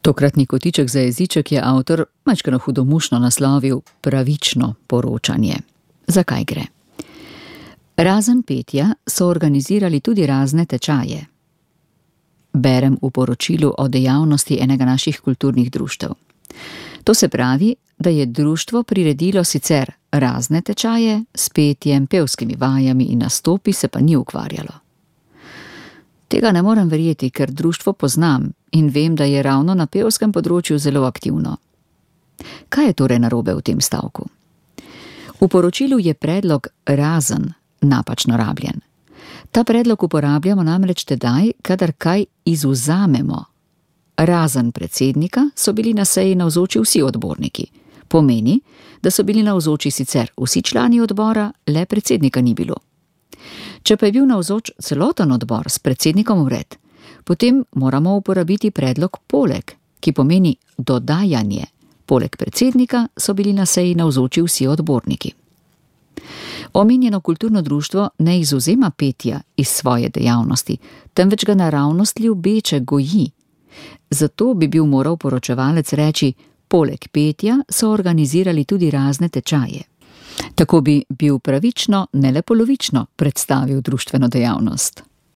Tokratni kotiček za jeziček je avtor majčkeno hudomušno naslovil Pravično poročanje. Zakaj gre? Razen petja so organizirali tudi razne tečaje. Berem v poročilu o dejavnosti enega naših kulturnih društev. To se pravi, da je društvo priredilo sicer razne tečaje, s petjem, pevskimi vajami in nastopi se pa ni ukvarjalo. Tega ne morem verjeti, ker društvo poznam in vem, da je ravno na pevskem področju zelo aktivno. Kaj je torej narobe v tem stavku? V poročilu je predlog razen napačno rabljen. Ta predlog uporabljamo namreč tedaj, kadar kaj izvzamemo. Razen predsednika so bili na seji navzoči vsi odborniki. Pomeni, da so bili navzoči sicer vsi člani odbora, le predsednika ni bilo. Če pa je bil navzoč celoten odbor s predsednikom vred, potem moramo uporabiti predlog poleg, ki pomeni dodajanje. Poleg predsednika so bili na seji navzoči vsi odborniki. Omenjeno kulturno društvo ne izvzema petja iz svoje dejavnosti, temveč ga naravnost ljubeče goji. Zato bi bil moral poročevalec reči, poleg petja so organizirali tudi razne tečaje. Tako bi bil pravično, ne le polovično predstavil društveno dejavnost.